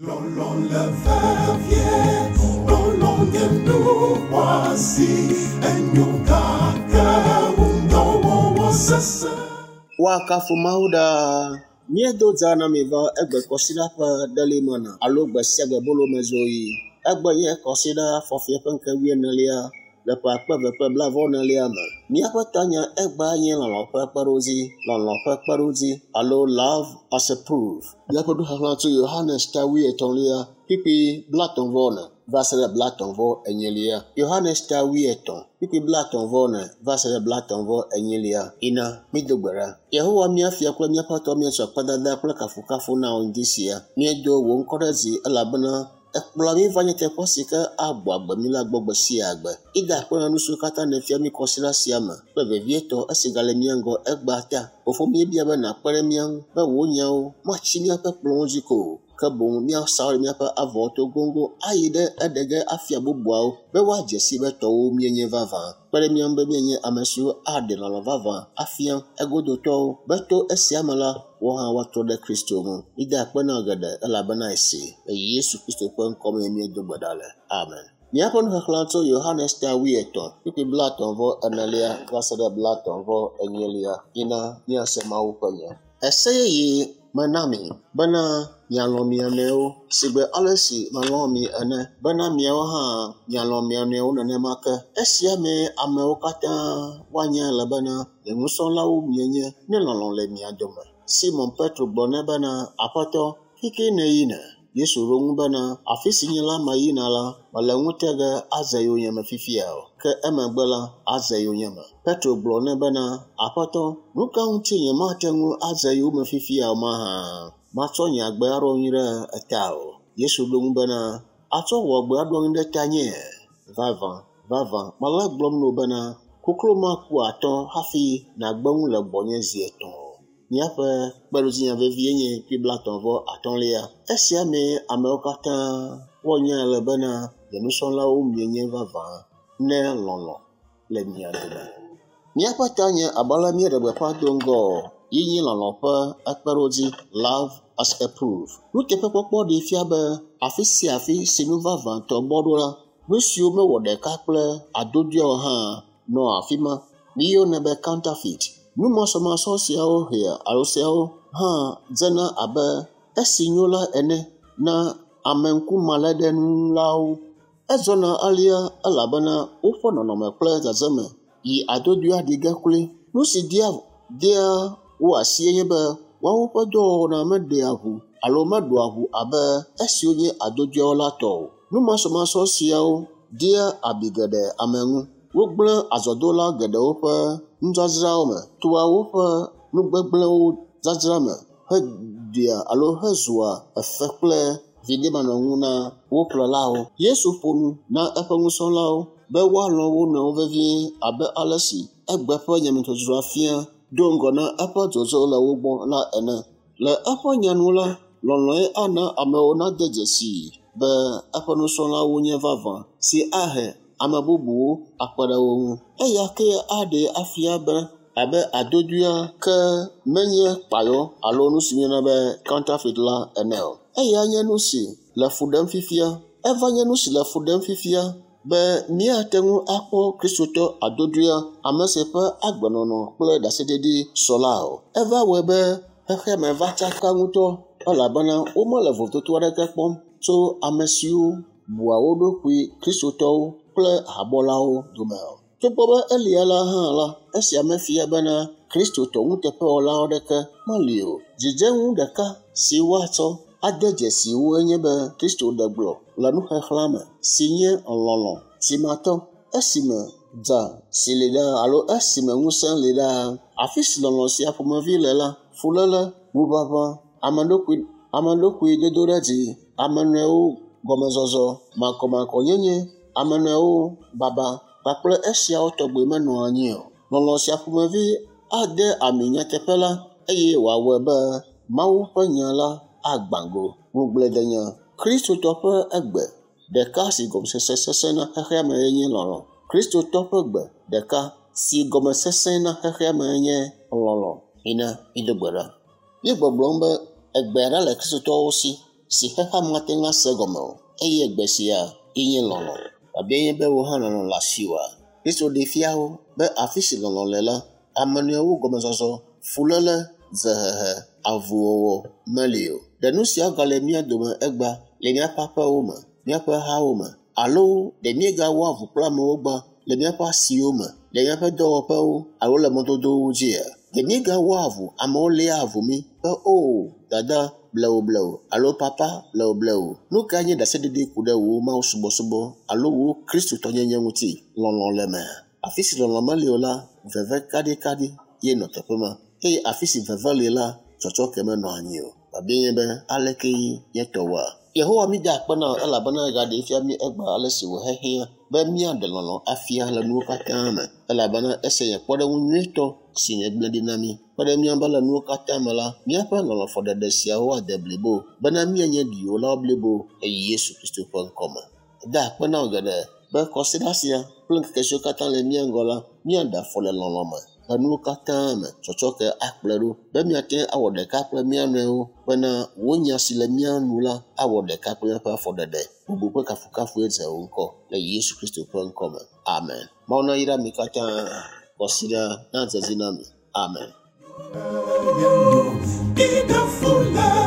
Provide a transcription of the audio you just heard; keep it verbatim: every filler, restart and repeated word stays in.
Lɔlɔ̃ le vevie, lɔlɔ̃ nye nu xɔasi, enyo gake ŋudɔwɔwɔ sesẽ. Woakafu Mawu ɖaa. Míedo dza na mi va egbe kɔsiɖa ƒe ɖelimena alo gbe sia gbe bolomezoɣi. Egbe nye kɔsiɖa fɔfia ƒe ŋkeke wuienelia le ƒe akpe eve kple blaeve-vɔ-enelia me. Míaƒe tanya egbea nye lɔlɔ̃ ƒe kpeɖodzi, lɔlɔ̃ ƒe kpeɖodzi alo love as a proof. Míaƒe nuxexlẽ tso Yohanes ta wuietɔ̃lia kpukpui blaetɔ̃ vɔ ene va se ɖe blaetɔ̃ vɔ enyilia. Yohanes ta wuietɔ̃ kpukpui blaetɔ̃ vɔ ene va se ɖe blaetɔ̃ vɔ enyilia. Ina mído gbe ɖa. Yehowa mía fia kple míaƒe Aƒetɔ míetsɔ akpedada kple kafukafu na wò ŋdi sia. Míedo wò ŋkɔ ɖe dzi elabena ekplɔa mí va nye teƒe si ke agbɔ agbe mí la gbɔ gbe sia gbe. Ida akpe na nu siwo katã nèfia mí kɔsiɖa sia me kple vevietɔ esi gale mía ŋgɔ egbea ta. Fofo míebia be nàkpe ɖe mía ŋu be wò nyawo matsi míaƒe kplɔ̃wo dzi ko o, ke boŋ míasa wo ɖe míaƒe avɔwo to goŋgoŋ ayi ɖe eɖe ge afia bubuawo be woadze si be tɔwo míenye vavã. Kpe ɖe mía ŋu be míenye ame siwo aɖe lɔlɔ̃ vavã afia egodotɔwo be to esia me la, woawo hã woatrɔ ɖe Kristo ŋu. Mída akpe na wò geɖe elabena esi le Yesu Kristo ƒe ŋkɔ mee míedo gbe ɖa le. Amen. Míaƒe nuxexlẽ tso Yohanes ta wuietɔ̃ kpukpui blaetɔ̃ vɔ enelia va se ɖe blaetɔ̃ vɔ enyilia. Yina míase Mawu ƒe nya. Ese yeye mena mi bena mialɔ̃ mia nɔewo sigbe ale si melɔ̃ mi ene bena miawo hã mialɔ̃ mia nɔewo nenema ke. Esia mee amewo katã woanya le bena nye nusrɔ̃lawo mienye ne lɔlɔ̃ le mia dome. Simon Petro gblɔ nɛ bena, Aƒetɔ, fi nèyina? Yesu ɖo eŋu bena, afi si nye la meyina la, mele ŋute ge aze yonyeme fifia o, ke emegbe la, aze yonyeme. Petro gblɔ nɛ bena, Aƒetɔ, nu ka ŋuti nyemate ŋu aze yowòme fifia o mahã? Matsɔ nye agbe aɖo anyi ɖe eta o. Yesu ɖo eŋu bena, atsɔ wò agbe aɖo anyi ɖe tanye? Vavã, vavã, mele egblɔm na wò bena, koklo maku atɔ hafi nàgbe nu le gbɔnye zi etɔ̃ o. Míaƒe kpeɖodzinya vevie nye kpukpui blaetɔ̃ vɔ atɔ̃lia. Esia mee amewo katã woanya le bena nye nusrɔ̃lawo mienye vavã ne lɔlɔ̃ le mia dome. Míaƒe tanya abe ale míeɖe gbeƒã do ŋgɔ ye nye lɔlɔ̃ ƒe kpeɖodzi love as a proof. Nuteƒekpɔkpɔ ɖee fia be afi sia afi si nu vavãtɔ bɔ ɖo la, nu siwo mewɔ ɖeka kple adodoea o hã nɔa afi ma. Míeyɔnɛ be counterfeit. Nu masɔmasɔ siawo hea alo siawo hã dzena abe esi nyo la ene na ameŋkumaléɖenuŋulawo. Edzɔna alea elabena woƒe nɔnɔme kple dzedzeme yi adodoea ɖi ge kloe. Nu si dea dea wo asie nye be woawo ƒe dɔwɔwɔna meɖea ʋu alo meɖoa ʋu abe esiwo nye adodoeawo la tɔ o. Nu masɔmasɔ siawo dea abi geɖe ame ŋu. Wogblẽ azɔdola geɖewo ƒe nudzadzrawo me, toa woƒe nugbegblẽwo dzadzra me heɖea alo hezua efe kple viɖemanɔŋu na wo ƒlelawo. Yesu ƒo nu na eƒe nusrɔ̃lawo be woalɔ̃ wo nɔewo vevie abe ale si egbe ƒe nyametsotsoa fia do ŋgɔ na eƒe dzodzo le wo gbɔ la ene. Le eƒe nya nu la, lɔlɔ̃e ana amewo nade dzesii be eƒe nusrɔ̃lawo nye vavã si ahe ame bubuwo akpe ɖe wo ŋu. Eya kee aɖee afia be abe adodoea ke menye kpayɔ alo nu si míeyɔna be counterfeit la ene o. Eya nye nu si le fu ɖem fifia. Eva nye nu si le fu ɖem fifia be míate ŋu akpɔ Kristotɔ adodoea ame si ƒe agbenɔnɔ kple ɖaseɖiɖi sɔ la o. Eva wɔe be xexeame va tsaka ŋutɔ elabena womele vovototo aɖeke kpɔm tso ame siwo bua wo ɖokui Kristotɔwo kple habɔlawo dome o. Togbɔ be elia la hã la, esia mefia bena Kristotɔ nuteƒewɔlawo aɖeke meli o. Dzidzenu ɖeka si woatsɔ ade dzesi woe nye be Kristo ɖe gblɔ le nuxexlẽa me si nye lɔlɔ̃ timatɔ esime dza si li ɖaa alo esime ŋusẽ li ɖaa. Afi si lɔlɔ̃ sia ƒomevi le la, fuléle, ŋuʋaʋã, ame ɖokui ame ɖokui dodo ɖe dzi, ame nɔewo gɔmezɔzɔ, makɔmakɔnyenye, ame nɔewo baba kpakple esiawo tɔgbi menɔa anyi o. Lɔlɔ̃ sia ƒomevi ade ami nyateƒe la eye wòawɔe be Mawu ƒe nya la agbã go. Ŋugbledenya. Kristotɔ ƒe egbe ɖeka si gɔmesese sesẽ na xexeame nye lɔlɔ̃. Kristotɔ ƒe gbe ɖeka si gɔme sesẽ na xexeame nye lɔlɔ̃. Mina mído gbe ɖa. Míegbɔgblɔm be egbe aɖe le Kristotɔwo si si xexea mate ŋu ase gɔme o eye gbe sia ye nye lɔlɔ̃. Biabia nye be wò hã lɔlɔ̃ le asiwòa? Kristo ɖee fia wo be afi si lɔlɔ̃ le la, ame nɔewo gɔmezɔzɔ, fuléle, dzehehe, avuwɔwɔ meli o. Ɖe nu siawo gale mía dome egbea le míaƒe aƒewo me, míaƒe hawo me alo ɖe míegawɔa avu kple amewo gbã le míaƒe asiwo me, le míaƒe dɔwɔƒewo alo le mɔdodowo dzia? Ɖe míegawɔa avu amewo léa avu mí be o dada blewublewu alo papa blewublewu. Nu kae nye ɖaseɖiɖi ku ɖe wò mawusubɔsubɔ alo wò kristotɔnyenye ŋuti? Lɔlɔ̃ le mea? Afi si lɔlɔ̃ meli o la, veve kaɖikaɖi ye nɔ teƒe ma eye afi si veve li la, tsɔtsɔke menɔ anyi o. Biabia nye be aleke nye tɔwoa? Yehowa mi da akpe na wò elabena egaɖee fia mí egbea ale si wòhehiã be míaɖe lɔlɔ̃ afia le nuwo katã me elabena esia nye kpɔɖeŋu nyuitɔ si nègblẽ ɖi na mí. Kpe ɖe mía be le nuwo katã me la, míaƒe lɔlɔ̃fɔɖeɖe siawo ade blibo bena míanye ɖiwòlawo blibo le Yesu Kristo ƒe ŋkɔme. Da akpe na wò geɖe be kɔsiɖa sia kple ŋkeke siwo katã le mía ŋgɔ la, míaɖe afɔ le lɔlɔ̃ me le nuwo katã me tsɔtsɔke akplɔe ɖo be míate ŋu awɔ ɖeka kple mía nɔewo bena wò nya si le mía nu la awɔ ɖeka kple míaƒe afɔɖeɖe. Bubu kple kafukafue dze wò ŋkɔ le Yesu Kristo ƒe ŋkɔme. Amen. Mawu nayra mi katã. Kɔsiɖa nadze edzi na mi. Amen. Ida fule